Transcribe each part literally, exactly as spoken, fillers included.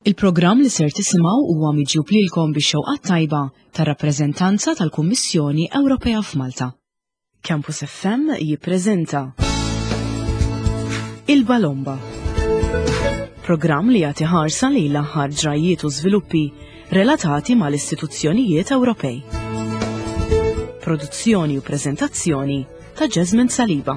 Il-programm li ser tisimgħu huwa miġjub lilkom bix-xewqa tajba tar-rappreżentanza tal-Kummissjoni Ewropea f'Malta. Campus F M jippreżenta Il-Balomba. Programm li jagħti ħarsa lejn l-aħħar ġrajiet u żviluppi relatati mal-istituzzjonijiet Ewropej. Produzzjoni u preżentazzjoni ta' Jasmine Saliba.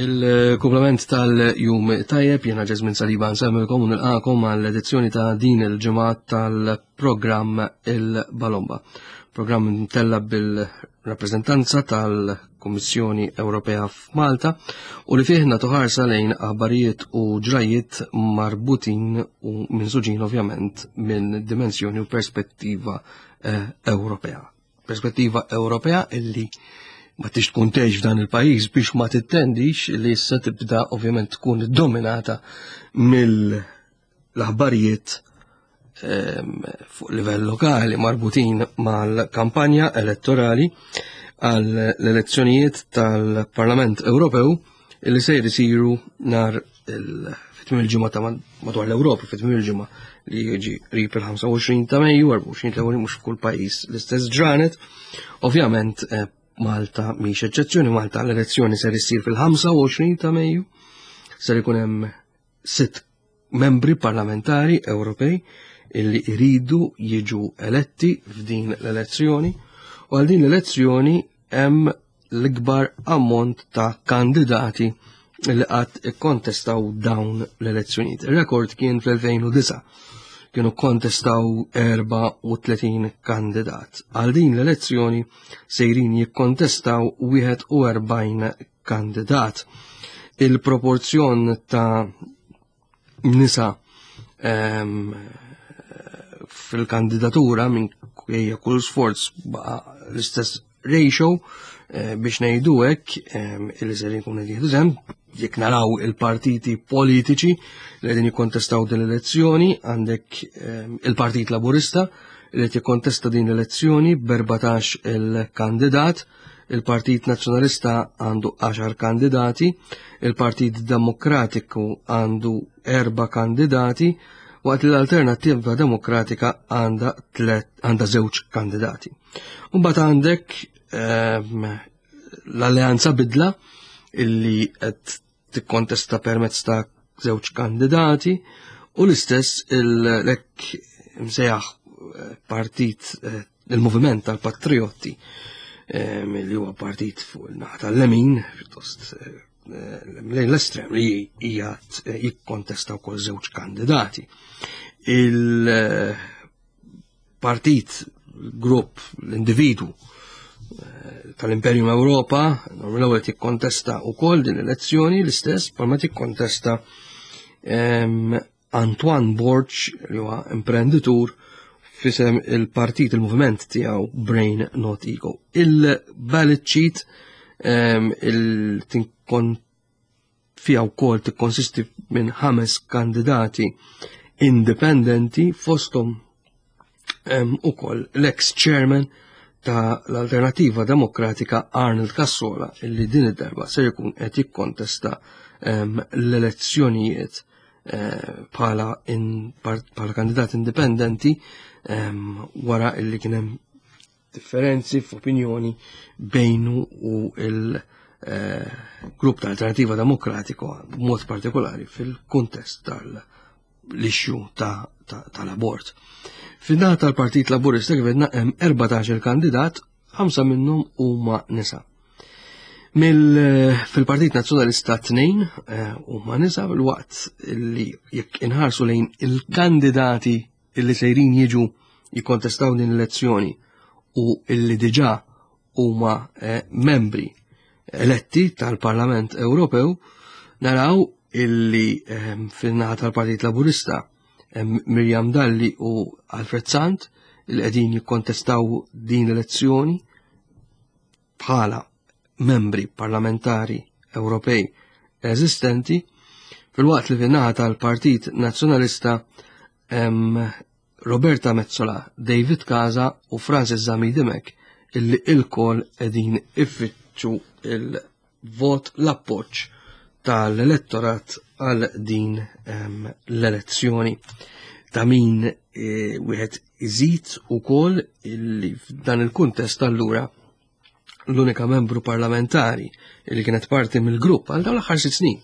Il-kumplament tal-jum tajjeb, jena Ġesmin Saliba nsemmilkom u nilqakom għall-edizzjoni ta' din il-ġimgħa tal-programm Il-Balomba. Programm mtella bil-rappreżentanza tal-Kummissjoni Ewropea f'Malta u li fih nagħtu ħarsa lejn aħbarijiet u ġrajiet marbutin u minsuġin ovvjament minn dimensjoni u perspettiva eh, Ewropea. Perspettiva Ewropea illi ma tix tkun tgħix f'dan il-pajjiż biex ma tittendix li issa tibda ovvjament tkun dominata mill-aħbarijiet ehm, fuq livell lokali marbutin mal-kampanja elettorali għal l-elezzjonijiet tal-Parlament Ewropew illi se jsiru nhar fit-tmiem il-ġimgħa ta' madwar l-Ewropa, fit-tmiem il-ġimgħa li jiġi qrib il-ħamsa u għoxrin ta' Mejju, erbgħa u għoxrin ta' mhux f'kull pajjiż l-istess ġranet. Ovvjament eh, Malta mhix eċċezzjoni, Malta l-elezzjoni ser issir fil-ħamsa u għoxrin ta' Mejju, ser ikun hemm sitt membri parlamentari Ewropej illi iridu jiġu eletti f'din l-elezzjoni u għal din l-elezzjoni hemm l-ikbar ammont ta' kandidati li qatt ikkontestaw dawn l-elezzjonijiet. Il-rekord kien fl-elfejn u disgħa, kienu kontestaw erbgħa u tletin kandidat. Għal din l-elezzjoni sejrin jikkontestaw wieħed u erbgħin kandidat. Il-proporzjon ta' nisa um, fil-kandidatura minn kull sforz baqa l-istess ratio eh, biex ngħidu hekk illi ser jkun qed jieħdu sehem. Jekk naraw il-partiti politiċi li qegħdin jikkontestaw din l-elezzjoni, għandek il-Partit Laburista li qed jikkontesta din l-elezzjoni b'erbatax il-kandidat, il-Partit Nazzjonalista għandu għaxar kandidati, il-Partit Demokratiku għandu erba' kandidati, waqt li l-Alternattiva Demokratika għandha għandha żewġ kandidati. Mbagħad għandek l-Alleanza Bidla illi qed tikkontesta permezz ta' żewġ kandidati u l-istess l-hekk imsejjaħ eh, partit eh, il-Moviment tal-Patriotti eh, li huwa partit fuq il-naħa tal-lemin, pjuttost lejn l-estrem, li hija jikkontesta wkoll żewġ kandidati. Il-partit, grupp, l-individu tal-Imperium Europa, l-ewwel tikkontesta wkoll din l-elezzjoni, l-istess bħalma tikkontesta Antoine Borg, li huwa imprenditur, fisem il-partit, il-moviment tiegħu Brain Not Ego. Il-ballot sheet il-tinkon fija wkoll tikkonsisti minn ħames kandidati indipendenti, fosthom ukoll l-ex-chairman ta' l-Alternativa Demokratika Arnold Cassola, illi din id-darba ser jkun qed jikkontesta l-elezzjonijiet eh, bħala bħala kandidat indipendenti wara illi kien hemm differenzi f'opinjoni bejnu u il-grupp eh, ta' Alternativa Demokratiko, b'mod partikolari fil-kuntest tal-issue tal-abort. Fin-naħa tal-Partit Laburista, kif għedna, hemm erbatax kandidat, ħamsa minnhom huma nisa. Mill fil-Partit Nazzjonalista tnejn eh, huma nisa, fil-waqt li jekk inħarsu lejn il-kandidati illi sejrin jiġu jikkontestaw din l-elezzjoni u illi diġà huma eh, membri eletti tal-Parlament Ewropew, naraw illi eh, fil-naħa tal-Partit Laburista Miriam Dalli u Alfred Sant li qegħdin jikkontestaw din l-elezzjoni bħala membri parlamentari Ewropej eżistenti, fil-waqt li fin-naħa tal-Partit Nazzjonalista hemm Roberta Metsola, David Casa u Francis Zammit Dimech illi ilkoll qegħdin iffittxu il-vot, l-appoġġ tal-elettorat għal din ehm, l-elezzjoni. Ta' min eh, wieħed iżid ukoll illi f'dan il-kuntest allura l-unika membru parlamentari li kienet parti mill-grupp għal dawn l-aħħar sitt snin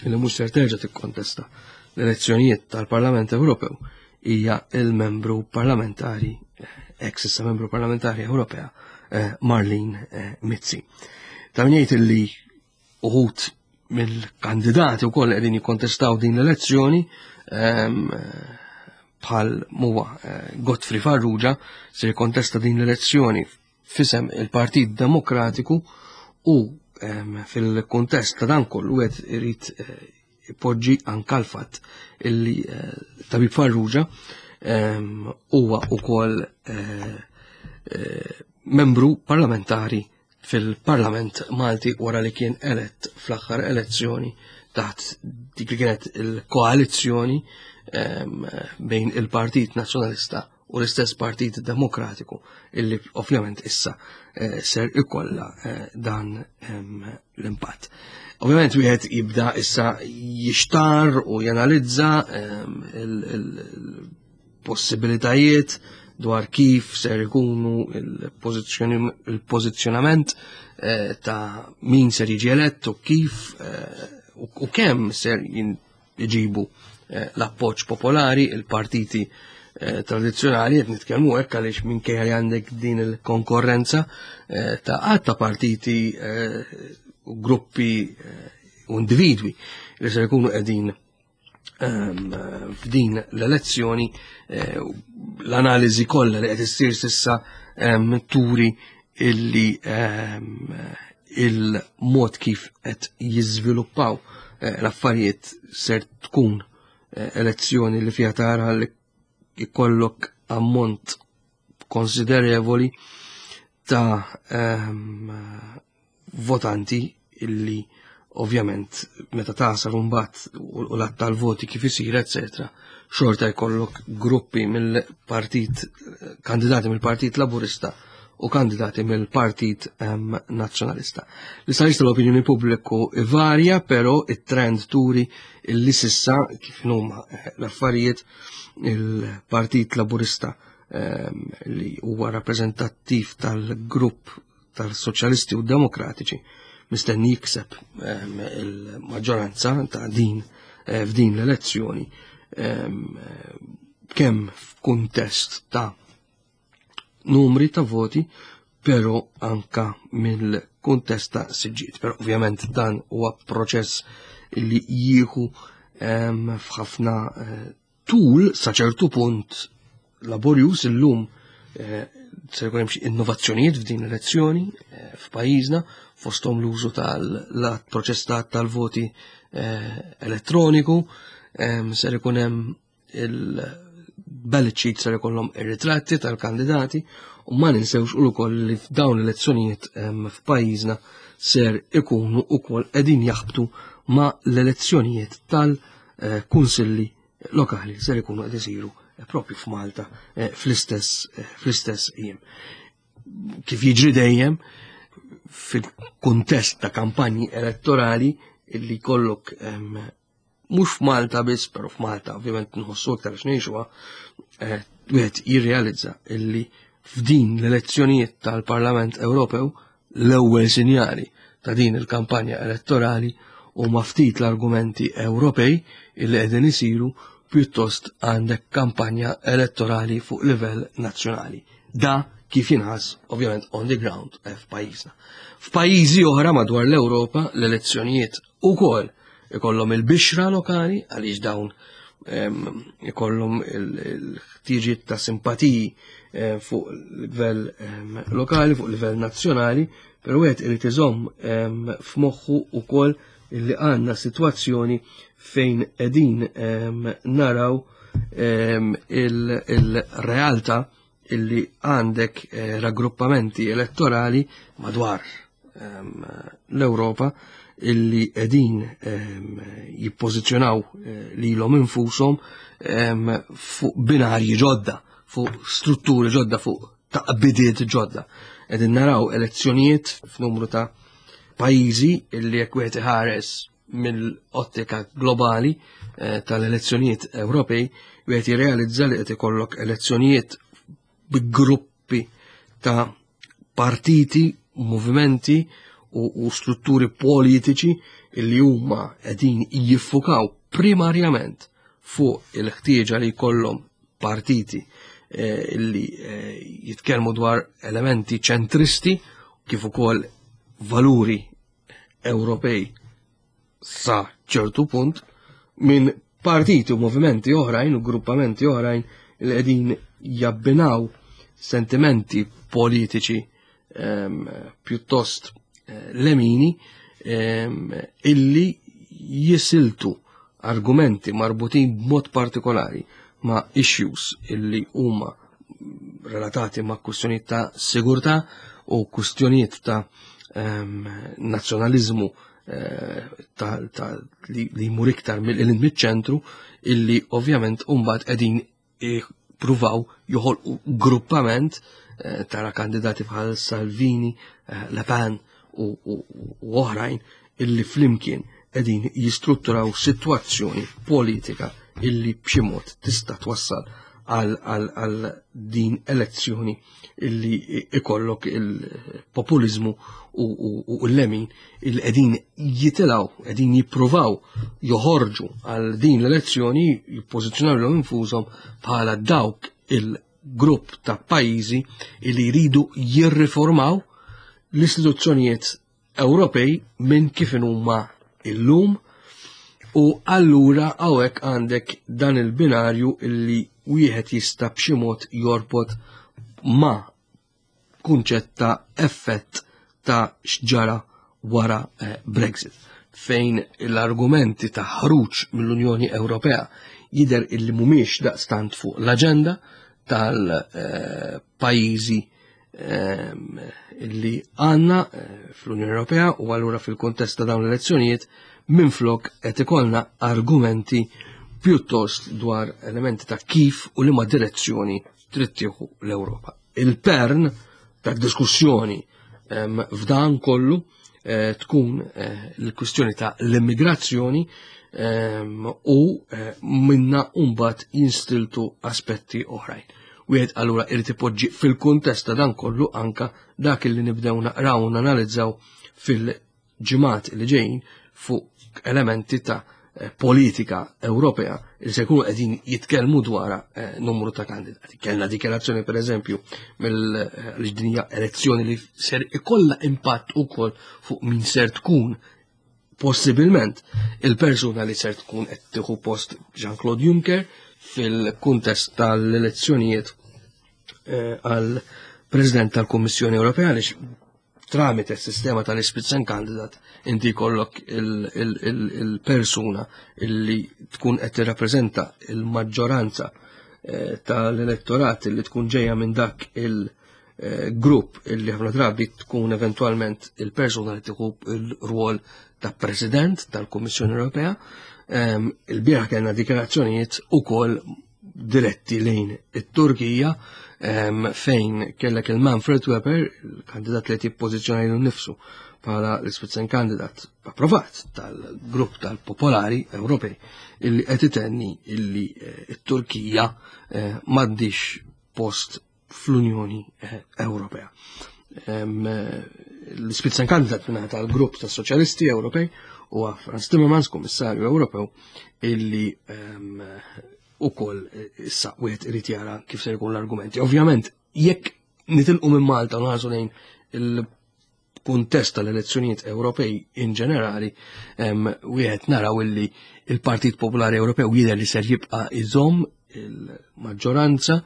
illi mhux ser terġa' tikkontesta l-elezzjonijiet tal-Parlament Ewropew hija il-membru parlamentari, ex issa membru parlamentari Ewropea, eh, Marlene eh, Mizzi. Ta' min jgħid illi uħud mill-kandidati wkoll qegħdin jikkontestaw din l-elezzjoni, ehm, bħal muwa eh, Godfrey Farrugia se jikkontesta din l-elezzjoni f'isem il-Partit Demokratiku u ehm, fil-kontest ta' dan kollu qed irid eh, ipoġġi anka l-fatt illi eh, Tabib Farrugia ehm, huwa ukoll eh, membru parlamentari fil-Parlament Malti wara li kien elett fl-aħħar elezzjoni taħt dik li kienet il-koalizzjoni ehm, bejn il-Partit Nazzjonalista u l-istess Partit Demokratiku illi ovvjament issa eh, ser ikolla eh, dan ehm, l-impatt. Ovvjament wieħed jibda issa jixtar u janalizza ehm, il-possibilitajiet dwar kif ser ikunu il-pożizzjonament eh, ta' min ser jiġi elett u kif u kemm ser jġibu l-appoġġ popolari, il-partiti Eh, tradizzjonali. Qed nitkellmu hekk għaliex minkejja li għandek din il-konkorrenza eh, ta' għadd ta' partiti eh, u gruppi u individwi li se jkunu qegħdin ehm, f'din l-elezzjoni, l-analiżi kollha li qed issir s'issa ehm, turi illi ehm, il-mod kif qed jiżviluppaw l-affarijiet ser tkun elezzjoni li fiha tara li jkollok ammont konsiderevoli ta' um, votanti illi ovvjament meta tasal mbagħad u l-għadd tal-voti kif isir, eccetera, xorta jkollok gruppi mill-partit, kandidati mill-Partit Laburista u kandidati mill-Partit um, Nazzjonalista. L-istħarriġ tal-opinjoni pubbliku varja, però it-trend turi illi s'issa kif huma eh, l-affarijiet, il-Partit Laburista um, li huwa rappreżentattiv tal-grupp tal-Soċjalisti u Demokratiċi mistenni jikseb um, il-maġġoranza ta' din eh, f'din l-elezzjoni, um, kemm f'kuntest ta' numri ta' voti, pero anka mill-kuntest ta' siġġiet. Pero ovvjament dan huwa proċess li jieħu f'ħafna eh, tul, sa ċertu punt laborjus. Illum eh, se jkun hemm xi innovazzjonijiet f'din l-elezzjoni eh, f'pajjiżna, fosthom l-użu tal-proċess tal-voti elettroniku, ser ikun hemm il-ballot sheet, ser ikollhom ir-ritratti tal-kandidati u ma ninsewx ukoll li f'dawn l-elezzjonijiet f'pajjiżna ser ikunu ukoll qegħdin jaħbtu ma' l-elezzjonijiet tal-kunsilli lokali, ser ikunu qed isiru propju f'Malta eh, fl-istess eh, fl-istess jiem. Kif jiġri dejjem fil-kuntest ta' kampanji elettorali illi kollok, mhux f'Malta biss, però f'Malta ovvjament nħossu aktar għax ngħixuha, eh, wieħed jirrealizza illi f'din l-elezzjonijiet tal-Parlament Ewropew l-ewwel sinjali ta' din il-kampanja elettorali u ftit l-argumenti Ewropej illi qegħdin isiru, pjuttost għandek kampanja elettorali fuq livell nazzjonali. Da kif jinħass ovvjament on the ground f'pajjiżna. F'pajjiżi oħra madwar l-Ewropa l-elezzjonijiet ukoll ikollhom il-bixra lokali, għaliex dawn ikollhom il-ħtiġiet ta' simpatiji eh, fuq livell lokali, fuq livell nazzjonali, però wieħed irid iżomm f'moħħu ukoll illi għandna sitwazzjoni fejn qegħdin naraw il-realtà illi għandek eh, raggruppamenti elettorali madwar l-Ewropa illi qegħdin jippożizzjonaw lilhom infushom fuq binarji ġodda, fuq strutturi ġodda, fuq taqbidiet ġodda. Qegħdin naraw elezzjonijiet f'numru ta' pajjiżi illi jekk wieħed iħares mill-ottika globali tal-elezzjonijiet Ewropej, wieħed jirrealizza li qed ikollok elezzjonijiet bi gruppi ta' partiti, movimenti u, u strutturi politiċi illi huma qegħdin jiffukaw primarjament fuq il-ħtieġa li jkollhom partiti eh, illi eh, jitkellmu dwar elementi ċentristi kif ukoll valuri Ewropej sa ċertu punt minn partiti u movimenti oħrajn u gruppamenti oħrajn li qegħdin jabbinaw sentimenti politiċi ehm, pjuttost eh, lemini ehm, illi jisiltu argumenti marbutin b'mod partikolari ma' issues illi huma relatati ma' kwistjonijiet ta' sigurtà u kwistjonijiet ta' ehm, nazzjonaliżmu eh, ta', ta, li, li jmur iktar mill-ċentru illi ovvjament mbagħad qegħdin pruvaw joħolqu gruppament eh, tara kandidati bħal Salvini, eh, Le Pen u, u, u oħrajn illi flimkien qegħdin jistrutturaw sitwazzjoni politika illi b'xi mod tista' twassal għal, għal, għal din elezzjoni illi ikollok il-populizmu u, u, u l-lemin illi qegħdin jitilgħu, qegħdin jippruvaw joħorġu għal din l-elezzjoni, jippożizzjonaw lilhom infushom bħala dawk il-grupp ta' pajjiżi illi jridu jirriformaw l-istituzzjonijiet Ewropej minn kif huma illum. U allura hawnhekk għandek dan il-binarju illi wieħed jista' b'xi mod jorbot ma' kunċett ta' effett ta' x'ġara wara eh, Brexit, fejn l-argumenti ta' ħruġ mill-Unjoni Ewropea jidher illi mhumiex daqstant fuq l-aġenda tal-pajjiżi eh, illi għandna eh, fl-Unjoni Ewropea, u allura fil-kontest ta' dawn l-elezzjonijiet minflok qed ikollna argumenti pjuttost dwar elementi ta' kif u liema direzzjoni trid tieħu l-Ewropa. Il-pern ta' diskussjoni f'dan kollu eh, tkun eh, l-kwistjoni ta' l-immigrazzjoni u eh, minna mbagħad jinstiltu aspetti oħrajn. Wieħed allura irid ipoġġi fil-kuntest ta' dan kollu anka dak li nibdew naqraw u nanalizzaw fil-ġimgħat li ġejjin fuq elementi ta' politika Ewropea li se jkunu qegħdin jitkellmu dwar numru ta' kandidati. Kellna dikjarazzjoni pereżempju mill-din hija elezzjoni li ser ikollha impatt ukoll fuq min ser tkun possibilment il-persuna li ser tkun qed tieħu post Jean-Claude Juncker fil-kuntest tal-elezzjonijiet għal President tal-Kummissjoni Ewropea, għaliex tramite s-sistema tal-Spitzenkandidat inti jkollok il-persuna illi tkun qed tirrappreżenta il-maġġoranza tal-elettorat illi tkun ġejja minn dak il-grupp illi ħafna drabi tkun eventwalment il-persuna li tieħu il-rwol ta' President tal-Kummissjoni Ewropea. Il-bieraħ kellna dikjarazzjonijiet ukoll diretti lejn it-Turkija, fejn kellek il-Manfred Weber, il-kandidat li jippożizzjona lilu nnifsu bħala l-Spitzenkandidat approvat tal-grupp tal-Popolari Ewropej, illi qed itenni illi t-Turkija m'għandix post fl-Unjoni Ewropea. L-Spitzenkandidat minn tal-grupp tas-Soċjalisti Ewropej huwa Frans Timmermans, Kummissarju Ewropew, illi ukoll issa wieħed irid jara kif se jkun l-argumenti. Ovvjament, jekk nitilqu minn Malta u nħarsu lejn il-kuntest tal-elezzjonijiet Ewropej in ġenerali, wieħed naraw illi il-Partit Popolari Ewropew jidher li ser jibqa' iżomm il-maġġoranza,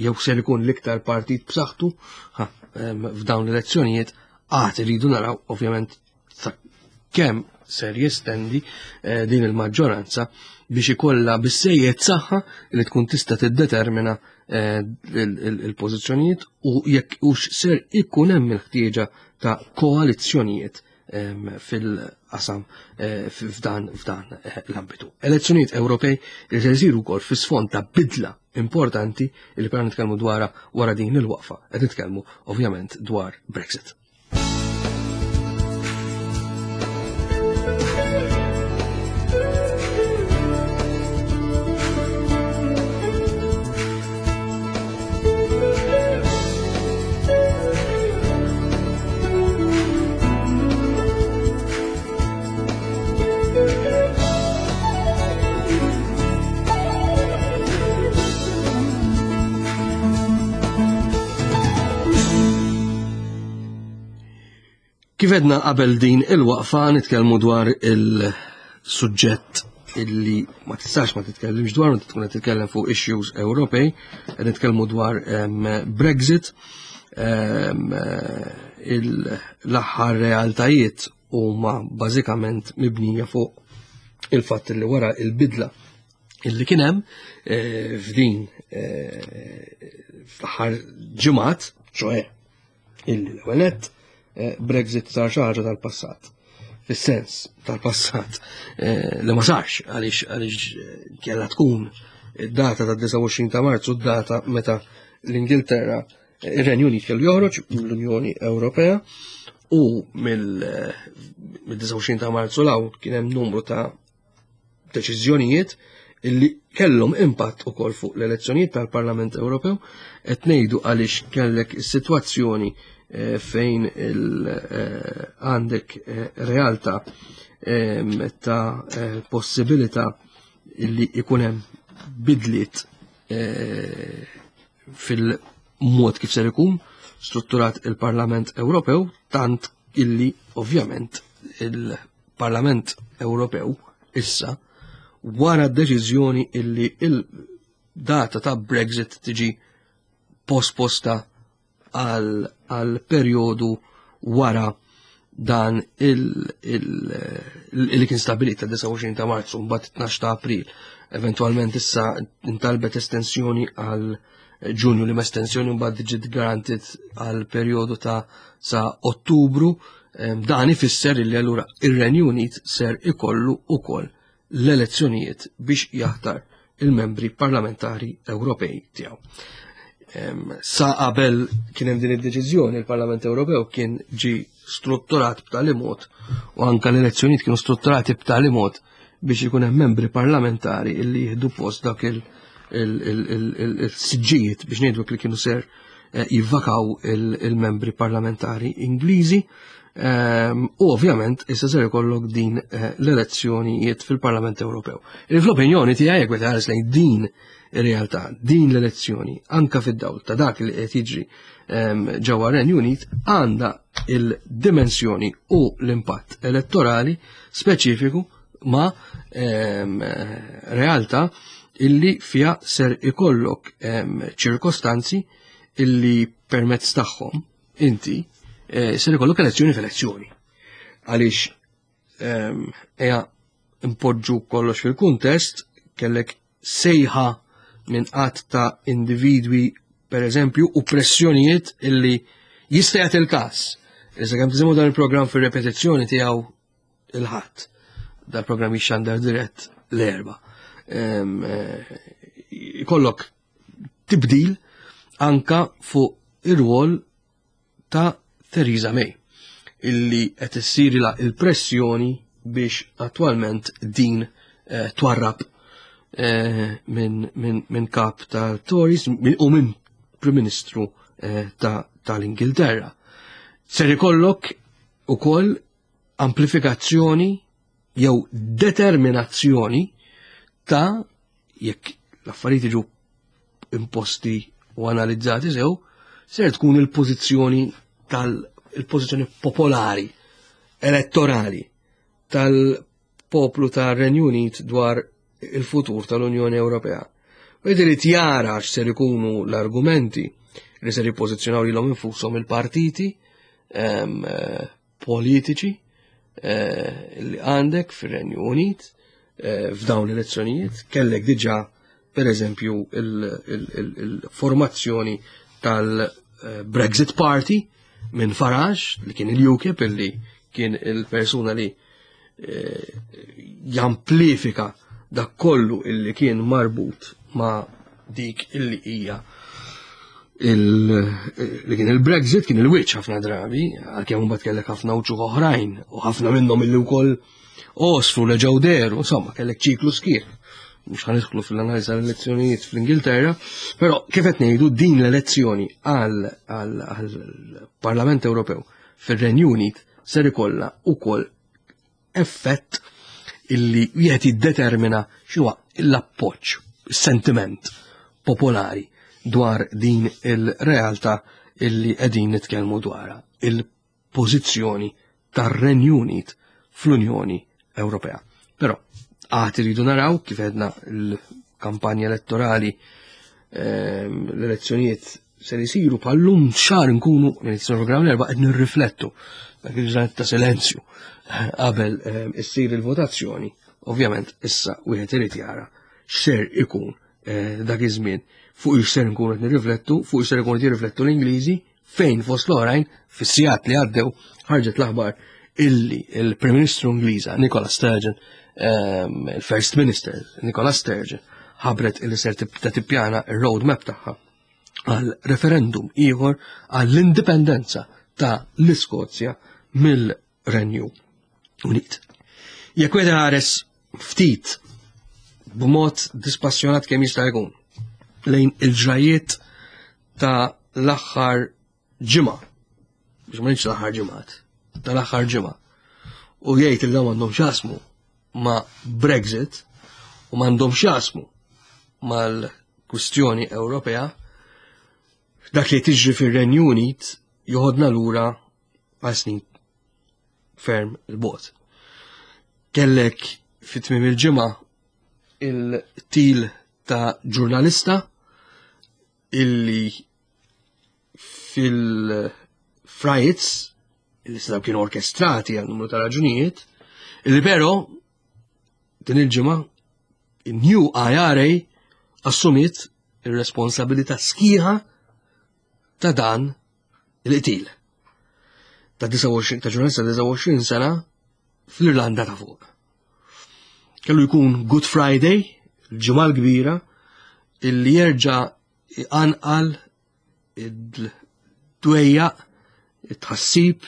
jew ser ikun l-iktar partit b'saħħtu f'dawn l-elezzjonijiet. Għad iridu naraw ovvjament kemm ser jestendi din il-maġġoranza biex ikollha bissejjed saħħa li tkun tista' tiddetermina il-pożizzjonijiet u jekk hux ser ikun hemm il-ħtieġa ta' koalizzjonijiet fil-qasam f'dan f'dan l-ambitu. Elezzjonijiet Ewropej li se jsiru wkoll fis-sfond ta' bidla importanti li però nitkellmu dwarha wara din il-waqfa. Qed nitkellmu ovvjament dwar Brexit. Kif edna qabel din il-waqfa nitkellmu dwar il-suġġett illi ma tistax ma titkellimx dwar, meta tkun qed titkellem fuq issues Ewropej, qed nitkellmu dwar Brexit, l-aħħar realtajiet huma bażikament mibnija fuq il-fatt li wara il-bidla illi kien hemm f'din fl-aħħar ġimgħat, ċoe illi l-ewwel nett Brexit sar xi ħaġa tal-passat. Fis-sens tal-passat li ma sarx għaliex għaliex kellha tkun id-data ta' disgħa u għoxrin ta' Marzu, d-data meta l-Ingilterra, ir-Renju Unit kellu joħroġ mill-Unjoni Ewropea, u mill-disgħa u għoxrin ta' Marzu l-hawn kien hemm numru ta' deċiżjonijiet illi kellhom impatt ukoll fuq l-elezzjonijiet tal-Parlament Ewropew. Qed ngħidu għaliex kellek is-sitwazzjoni fejn għandek realtà ta' possibilità illi ikun hemm bidliet fil-mod kif ser ikun strutturat il-Parlament Ewropew, tant illi ovvjament il-Parlament Ewropew issa wara d-deċiżjoni illi il-data ta' Brexit tiġi posposta għal, għal perjodu wara dan il-li kien stabilit ta' disgħa u għoxrin ta' Marzu mbagħad tnax ta' April. Eventwalment issa intalbet estensjoni għal Ġunju, li ma estensjoni mbagħad ġiet garantit għal perjodu ta' sa' Ottubru. Dan ifisser li allura ir-Renju Unit ser ikollu ukoll l-elezzjonijiet biex jaħtar il-membri parlamentari Ewropej tiegħu. Sa qabel kien hemm din id-deċiżjoni, il-Parlament Ewropew kien ġi strutturat b'tali mod, u anke l-elezzjonijiet kienu strutturati b'tali mod biex ikun hemm membri parlamentari illi jieħdu post dak il-siġġijiet biex ngħidu li kienu ser jivvakaw il-membri parlamentari Ingliżi. U ovvjament issa ser ikollok din l-elezzjonijiet fil-Parlament Ewropew. Fl-opinjoni tiegħi jekk wieħed ħares lejn din ir-realtà, din l-elezzjoni, anka fid-dawl ta' dak li qed jiġri ġewwa Renju Unit, għandha il-dimensjoni u l-impatt elettorali speċifiku ma' realtà illi fiha ser ikollok ċirkostanzi illi permezz tagħhom inti ser ikollok elezzjoni f'elezzjoni. Għaliex eja impoġġu kollox fil-kuntest, kellek sejħa minn qatt ta' individwi per eżempju u pressjonijiet illi jista' jagħti il-każ. Issa kemm tisimgħu dan il-programm fir-repetizzjoni tiegħu il-Ħadd, dal-programm jixxandar dirett l-Erba'. Ikollok tibdil anka fuq ir-rwol ta' Theresa May illi qed issirilha il-pressjoni biex attwalment din twarrab minn min, min kap tal-Tories u minn Prim Ministru tal-Ingilterra. Ser ikollok ukoll amplifikazzjoni jew determinazzjoni ta' jekk l-affarijiet jiġu imposti u analizzati sew, ser tkun il-pożizzjoni tal-pożizzjoni popolari, elettorali tal-poplu tar-Renju Unit dwar il-futur tal-Unjoni Ewropea. U irid jara x'ser ikunu l-argumenti li ser jippożizzjonaw lilhom infushom il-partiti politiċi li għandek fir-Renju Unit, eh, f'dawn l-elezzjonijiet. Kellek diġà, per eżempju, il-formazzjoni tal-Brexit Party minn Farage, li kien il-UKIP, illi kien il-persuna li eh, jamplifika dak kollu illi kien marbut ma' dik illi hija li kien il-Brexit, kien il-wiċċ ħafna drabi, għalkemm mbagħad kellek ħafna uċuħ oħrajn u ħafna minnhom illi wkoll osfru reġgħu dehru, insomma kellek ċiklu sħiħ. Mhux ħa nidħlu fil-analiżi tal-elezzjonijiet fl-Ingilterra, però kif qed ngħidu, din l-elezzjoni għall-Parlament Ewropew fir-Renju Unit ser ikollha ukoll effett illi wieħed jiddetermina x'huwa l-appoġġ, sentiment popolari dwar din il-realtà illi qegħdin nitkellmu dwarha, il-pożizzjoni tar-Renju Unit fl-Unjoni Ewropea. Però għad iridu naraw, kif għedna, l-kampanja elettorali, ehm, l-elezzjonijiet se jisiru bħal-lum xahar, nkunu minn program l-Erbgħa qed nirriflettu dak il-ġranet ta' silenzju qabel ehm, issir il-votazzjoni. Ovvjament issa wieħed irid jara x'ser ikun eh, dak iż-żmien, fuq x'ser nkunu qed nirriflettu, fuq x'ser ikunu qed jirriflettu l-Ingliżi, fejn fost l-oħrajn fis-sigħat li għaddew ħarġet l-aħbar illi il-Prim Ministru Ingliża Nicola Sturgeon, ehm, il-First Minister Nicola Sturgeon, ħabret illi ser tibda tippjana il-roadmap tagħha għal referendum ieħor għall-indipendenza ta' l-Iskozja mill-Renju Unit. Jekk wieħed ħares ftit b'mod dispassjonat kemm jista' jkun lejn il-ġrajiet ta' l-aħħar ġimgħa, biex ma ngħidx l-aħħar ġimgħat, tal-aħħar ġimgħa, u jgħid li dawn m'għandhom x'jaqsmu ma' Brexit u m'għandhom x'jaqsmu mal-kwistjoni Ewropea, dak li tiġri fir-Renju Unit joħodna lura għal snin ferm 'il bogħod. Kellek fit-tmiem il-ġimgħa il-qtil ta' ġurnalista illi fil-riots illi setaw kienu orkestrati għal numru ta' raġunijiet, illi però din il-ġimgħa il-New I R A assumiet ir-responsabilità sħiħa ta' dan il-qtil ta' disgħa u għoxrin ta' ġurnalista disgħa u għoxrin sena fl-Irlanda ta' Fuq. Kellu jkun Good Friday, il-Ġimgħa l-Kbira, illi jerġa' iqanqal id-dwejjaq, it-tħassib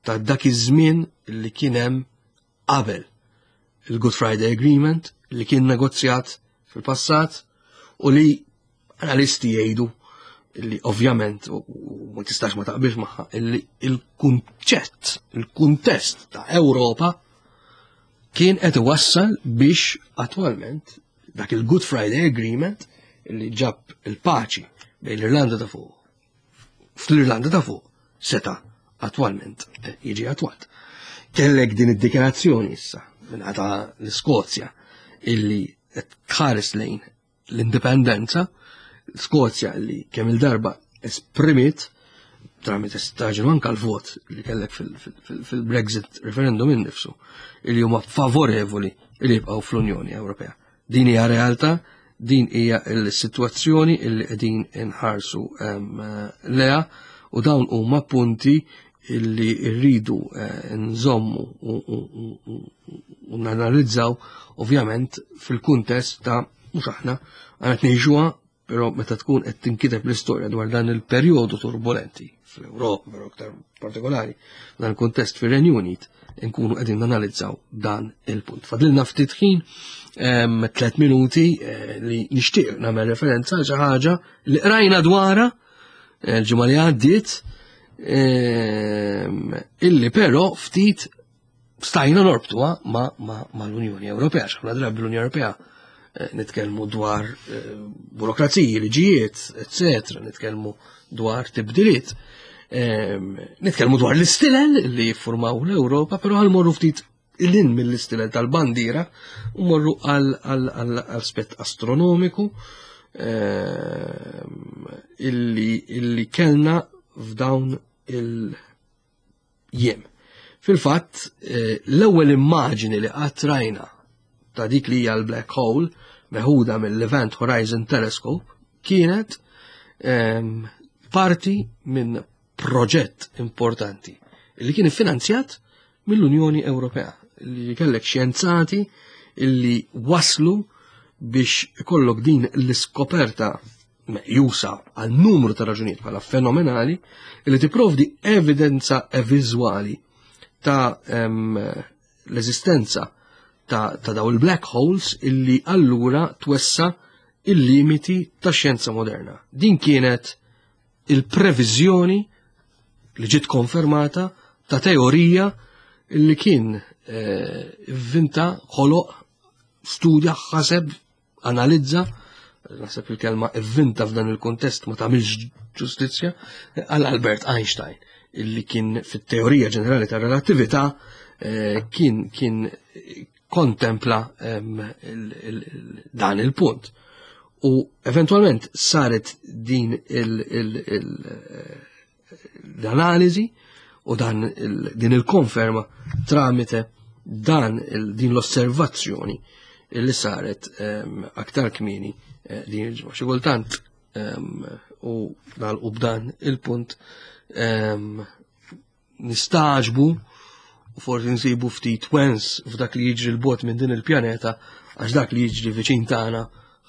ta' dak iż-żmien li kien hemm qabel il-Good Friday Agreement li kien negozjat fil-passat u li analisti jgħidu li ovvjament u ma tistax ma taqbilx magħha illi il-kunċett, il-kuntest ta' Ewropa kien qed iwassal biex attwalment dak il-Good Friday Agreement li ġab il-paċi bejn l-Irlanda ta' Fuq fl-Irlanda ta' Fuq seta' attwalment jiġi attwat. Kellek din id-dikjarazzjoni issa minn ta' l-Iskozja illi tħares lejn l-indipendenza, Skozja li kemm il-darba esprimiet tramite staġun anka l-vot li kellek fil-Brexit referendum innifsu, illi huma favorevoli li jibqgħu fl-Unjoni Ewropea. Din hija realtà, din hija l-sitwazzjoni illi qegħdin inħarsu lejha u dawn huma punti illi rridu eh, nżommu u nanalizzaw ovvjament fil-kuntest ta' mhux aħna għandna ngħixuha, però meta tkun qed tinkiteb l-istorja dwar dan il-perjodu turbulenti fl-Ewropa, però aktar partikolari dan il-kuntest fir-Renju Unit, nkunu qegħdin nanalizzaw dan il-punt. Fadlilna ftit ħin, tliet minuti, eh, li nixtieq nagħmel referenza għal xi ħaġa li qrajna dwarha eh, l-ġimgħa li għaddiet, illi però ftit stajna norbtuha ma, ma, ma l-Unjoni Ewropea. Ħafna drabi l-Unjoni Ewropea eh, nitkellmu dwar eh, burokraziji, liġijiet, eccetera, nitkellmu dwar tibdiliet, nitkellmu dwar l-istilel li jiffurmaw l-Ewropa, però ħa mmorru ftit 'l hinn mill-istilel tal-bandiera u morru għal aspett astronomiku illi, illi kellna f'dawn il-jiem. Fil-fatt, eh, l-ewwel immaġini li qatt rajna ta' dik li hija l-black hole meħuda mill-Event Horizon Telescope kienet ehm, parti minn proġett importanti li kien iffinanzjat mill-Unjoni Ewropea, li kellek xjenzati illi waslu biex ikollok din l-iskoperta meqjusa għal numru ta' raġunijiet bħala fenomenali li tipprovdi evidenza viżwali ta' l-eżistenza ta', ta daw il-black holes illi allura twessa il-limiti ta' xjenza moderna. Din kienet il-previżjoni li ġiet konfermata ta' teorija illi kien eh, vinta, ħoloq, studja, ħaseb, analizza, naħseb il-kelma ivvinta f'dan il-kontest ma tagħmilx ġustizzja, għal Albert Einstein, illi kien fit-teorija ġenerali ta' relatività eh, kien kien kontempla dan il-punt. U eventualment saret din l-analiżi u dan din il-konferma tramite dan din l-osservazzjoni li saret aktar kmieni eh, din il-ġimgħa. Xi kultant u nagħlqu b'dan il-punt nistaġbu u forsi nsibu ftit wens f'dak li jiġri l-bot minn din il-pjaneta, għax dak li jiġri viċin tagħna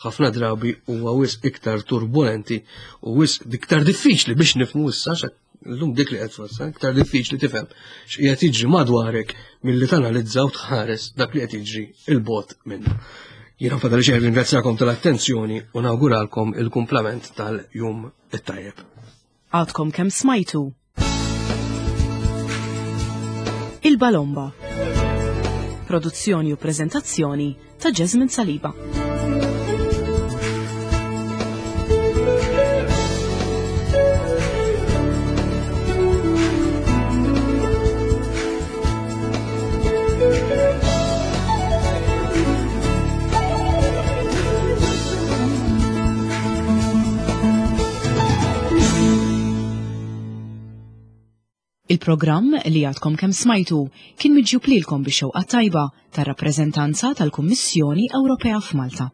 ħafna drabi huwa wisq iktar turbulenti u wisq iktar diffiċli biex nifhmu issa, llum dik li qed tfassal, iktar diffiċli tifhem x'qiegħed jiġri madwarek milli tanalizza u tħares dak li qed jiġri il-bot minnu. Jiena fadal xejn, ringrazzjakom tal-attenzjoni u nawguralkom il-kumplament tal-jum it-tajjeb. Għadkom kemm smajtu Il-Balomba. Produzzjoni u prezentazzjoni ta' Jasmine Saliba. Il-programm li għadkom kemm smajtu kien miġjub lilkom bix-xewqa tajba tar-rappreżentanza tal-Kummissjoni Ewropea f'Malta.